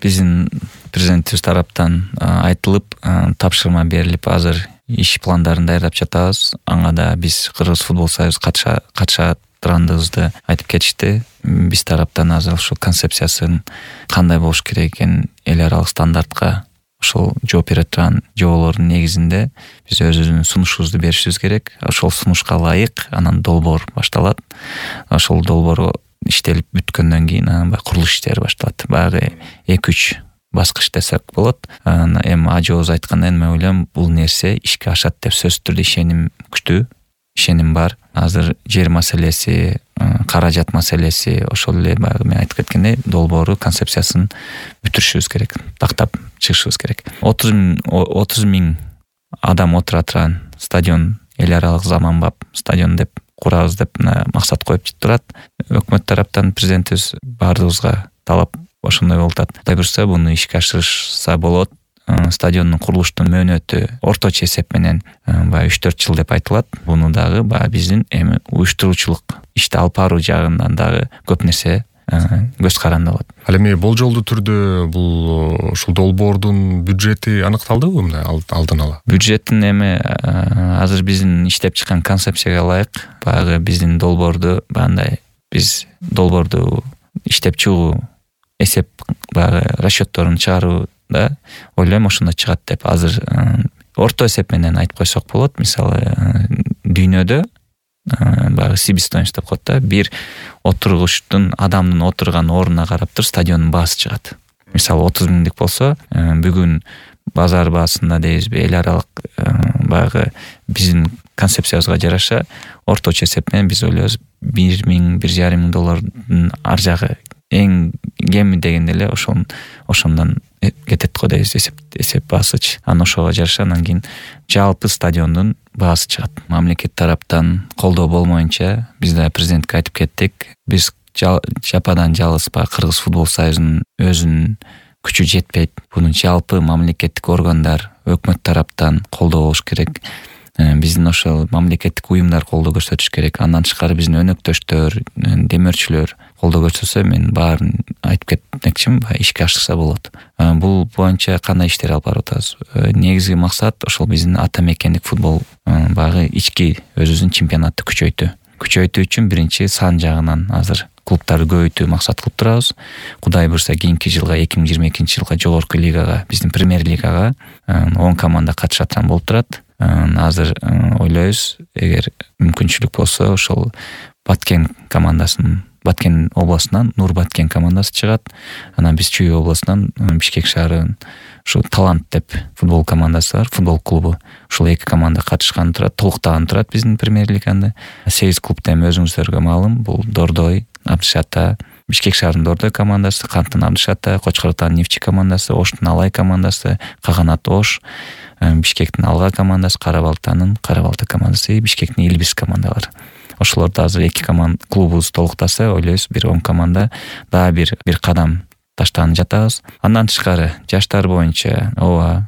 биздин президентибиз тараптан айтылып, тапшырма берилип, азыр иш пландарын даярдап жатабыз. Ага да биз Кыргыз футбол союзу катышатыргандыгыбызды айтып кетишти. Биз тараптан азыр ушул концепциясын кандай болуш керек экенин эл аралык стандартка ошол жооп бере турган жоболордун негизинде биз өзүбүздүн сунушубузду беришибиз керек. Ошол сунушка ылайык анан долбоор башталат. Ошол долбоор иштелип бүткөндөн кийин анан курулуш иштери башталат. Баягы 2-3 баскыч десек болот. Эми ажообуз айткандай, мен ойлойм бул нерсе ишке ашат деп сөзсүз түрдө ишеним күчтүү, ишеним бар. Азыр жер маселеси, каражат маселеси, ошол эле баягы мен айтып кеткендей долбоору, концепциясын бүтүрүшүбүз керек, тактап чыгышыбыз керек. 30 миң адам отура турган стадион, эл аралык заманбап стадион деп курабыз деп максат коюп турат. Өкмөт тараптан президентибиз баардыгыбызга талап ошондой болуп атат. Кудай буюрса буну ишке ашырышса болот. Стадиондун курулуштун мөөнөтү орточо эсеп менен 3-4 жыл деп айтылат. Буну дагы биздин эми уюштуруучулук ишти алып баруу жагынан дагы көп нерсе көз каранды болот. Ал эми болжолдуу түрдө бул ушул долбоордун бюджети аныкталдыбы мына алдын ала? Бюджеттин эми азыр биздин иштеп чыккан концепцияга ылайык баягы биздин долбоорду биз долбоорду иштеп чыгуу, эсеп баягы расчетторун чыгарууда ойлойм ошондо чыгат деп. Азыр орто эсеп менен айтып койсок болот. Мисалы дүйнөдө баягы себестоимость деп коет да, бир отургучтун адамдын отурган ордуна карап туруп стадиондун баасы чыгат. Мисалы 30 миңдик болсо, бүгүн базар баасында дейбизби, эл аралык баягы биздин концепциябызга жараша орточо эсеп менен биз ойлойбуз 1 миң, 1,5 миң доллардын ар жагы эң кеми дегенде эле ошондон кетет го дейбиз, эсеп баасычы. Анан ошого жараша анан кийин жалпы стадиондун баасы чыгат. Мамлекет тараптан колдоо болмоюнча биз да президентке айтып кеттик. Биз жападан жалгыз Кыргыз футбол союзунун өзүнүн күчү жетпейт. Буну жалпы мамлекеттик органдар, өкмөт тараптан колдоо болуш керек. Биздин ошол мамлекеттик уюмдар колдоо көрсөтүш керек. Андан тышкары биздин өнөктөштөр, демөөрчүлөр колдоо көрсөтсө, мен баарын айтып кетмекчимин, ишке ашырса болот. Бул боюнча кандай иштер алып барып атабыз? Негизги максат ошол биздин ата мекендик футбол баягы ички өзүбүздүн чемпионатты күчөйтүү үчүн биринчи сан жагынан азыр клубтарды көбөйтүү максат кылып турабыз. Кудай буюрса кийинки жылга 2022-жылга жогорку лигага, биздин премьер лигага 10 команда катышат болуп турат. Азыр ойлойбуз, эгер мүмкүнчүлүк болсо ошол Баткен областынан Нур Баткен командасы чыгат. Анан биз Чүй областынан Бишкек шаарынын ушул Талант деп футбол командасы бар, футбол клубу. Ушул эки команда катышкан турат, толуктаган турат биздин премьер лигада. 8 клубда эми өзүңүздөргө маалым, бул Дордой, Абдышата, Бишкек шаарынын Дордой командасы, Канттын Абдышата, Кочкор Атанын Нефчи командасы, Оштун Алай командасы, Каганат Ош, Бишкектин Алга командасы, Карабалта командасы, Бишкектин Илбис командалары. Ошолорду азыр эки клубубуз толуктаса, ойлойбуз бир 10 команда дагы бир кадам таштаган жатабыз. Андан тышкары жаштар боюнча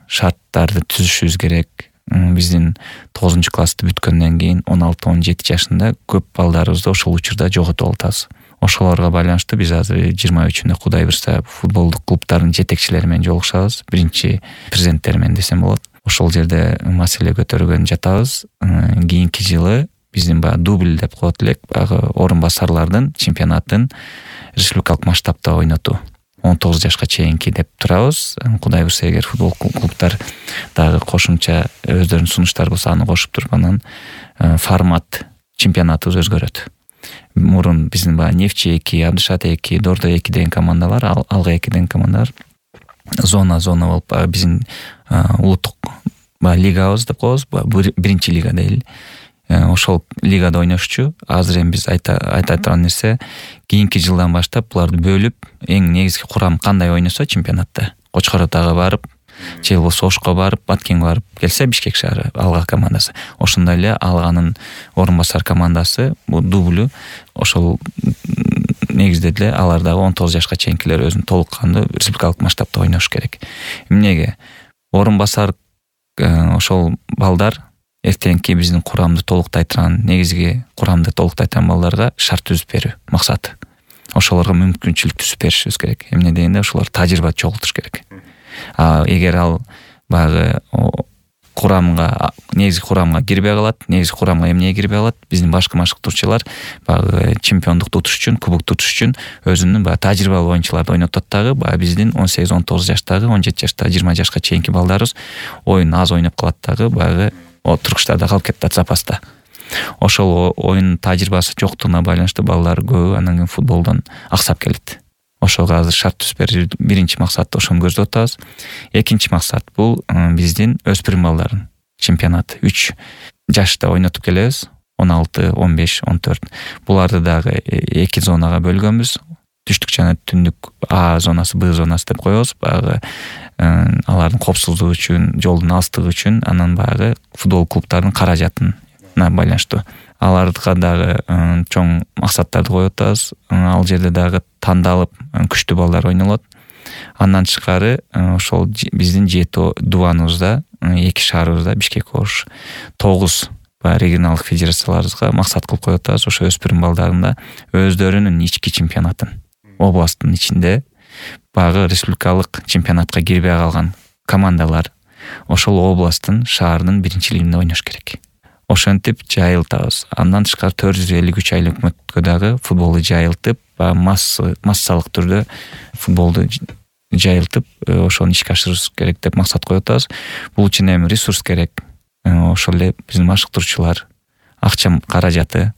шарттарды түзүшүбүз керек. Биздин 9-классты бүткөндөн кийин 16-17 жашында көп балдарыбызды ошол учурда жоготуп атабыз. Ошолорго байланыштуу биз азыр 23-үндө Кудай буюрса футболдук клубтардын жетекчилери менен жолугушабыз. Биринчи президенттер менен десем болот. Ошол жерде маселе көтөргөн жатабыз. Кийинки жылы биздин дубль деп коет элек, орун басарлардын чемпионатын республикалык масштабта ойнотуу. 19 жашка чейинки деп турабыз. Кудай буюрса эгер футбол клубтар дагы кошумча өздөрүнүн сунуштары болсо аны кошуп туруп анан формат чемпионатыбыз өзгөрөт. Мурун биздин Нефчи 2, Абдышат 2, Дордой 2 деген командалар, Алга 2 деген командалар зона болуп биздин улуттук лигабыз деп коебуз, биринчи лига дейли. Ошол лигада ойношчу. Азыр эми биз айта турган нерсе, кийинки жылдан баштап буларды бөлүп, эң негизги курам кандай ойносо чемпионатта, Кочкор Атага барып, же болбосо Ошко барып, Баткенге барып келсе, Бишкек шаары Алга командасы. Ошондой эле Алганын орун басар командасы, бул дублю, ошол негизде деле алар дагы 19 жашка чейинкилер өзүнүн толуккандуу республикалык масштабта ойнош керек. Эмнеге? Орун басар ошол балдар эртеңки биздин курамды толуктай турган, негизги курамды толуктай турган балдарга шарт түзүп берүү максаты. ошолорго мүмкүнчүлүк түзүп беришибиз керек. Эмне дегенде ошолор тажрыйба чогултуш керек. Эгер ал баягы негизги курамга кирбей калат, негизги курамга эмне кирбей калат, биздин башкы машыктыруучулар баягы чемпиондукту утуш үчүн, кубокту утуш үчүн өзүнүн баягы тажрыйбалуу оюнчуларды ойнотот дагы, баягы биздин 18-19 жаштагы, 17 жаштагы, 20 жашка чейинки балдарыбыз оюн аз ойноп калат дагы, баягы туркуштарда калып кетет запаста. Ошол оюн тажрыйбасы жоктугуна байланыштуу балдар көбү андан кийин футболдон аксап келет. Ошого азыр шарт түзүп берүү биринчи максат, ошону көздөп атабыз. Экинчи максат бул биздин өспүрүм балдардын чемпионаты. 3 жашта ойнотуп келебиз. 16, 15, 14. Буларды дагы 2 зонага бөлгөнбүз. Түштүк жана түндүк А зонасы, Б зонасы деп коебуз. Баягы алардын коопсуздугу үчүн, жолдун алыстыгы үчүн, анан баягы футбол клубтарынын каражатына байланыштуу. Аларга дагы чоң максаттарды коюп атабыз. Ал жерде дагы тандалып күчтүү балдар ойнолот. Андан тышкары ошол биздин 7 дубаныбызда, 2 шаарыбызда, Бишкек, Ош, 9 регионалдык федерацияларыбызга максат кылып коюп атабыз. Ошо өспүрүм балдарында өздөрүнүн ички чемпионатын, областтын ичинде баягы республикалык чемпионатка кирбей калган командалар ошол областтын, шаардын биринчилигинде ойнош керек. Ошентип жайылтабыз. Андан тышкары 453 айлык өкмөткө дагы футболду жайылтып, массалык түрдө футболду жайылтып, ошону ишке ашырыбыз керек деп максат коюп атабыз. Бул үчүн эми ресурс керек. Ошол эле биздин машыктыруучулар, акча каражаты,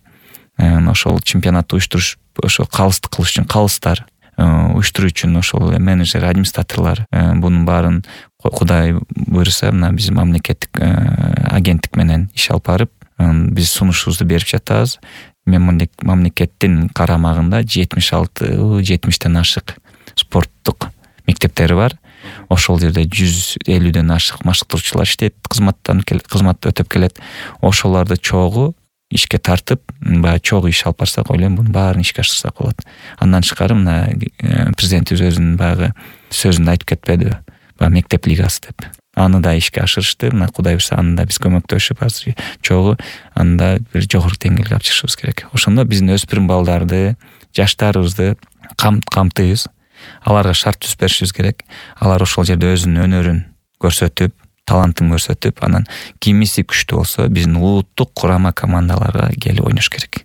ошол чемпионатты уюштуруш, ошол калыстык кылыш үчүн калыстар, уюштуруу үчүн ошол эле менеджер, администраторлор, бунун баарын Кудай буйруса, мына биз мамлекеттик агенттик менен иш алып барып, биз сунушубузду берип жатабыз. Мамлекеттин карамагында 76-70ден ашык спорттук мектептери бар. Ошол жерде 150ден ашык машыктыруучулар иштейт, кызмат өтөп келет. Ошолорду чогуу ишке тартып, баягы чогуу иш алып барсак, ойлойм, бунун баарын ишке ашырсак болот. Андан тышкары мына президентибиз өзүнүн баягы сөзүндө айтып кетпедиби? Мектеп лигасы деп. Аны да ишке ашырышты. Мына Кудай буйруса, аны да биз көмөктөшүп, азыр чогуу аны да бир жогорку деңгээлге алып чыгышыбыз керек. Ошондо биздин өспүрүм балдарды, жаштарыбызды камтыйбыз. Аларга шарт түзүп беришибиз керек. Алар ошол жерде өзүнүн өнөрүн көрсөтүп, талантын көрсөтүп, анан кимиси күчтүү болсо биздин улуттук курама командаларга келип ойнош керек.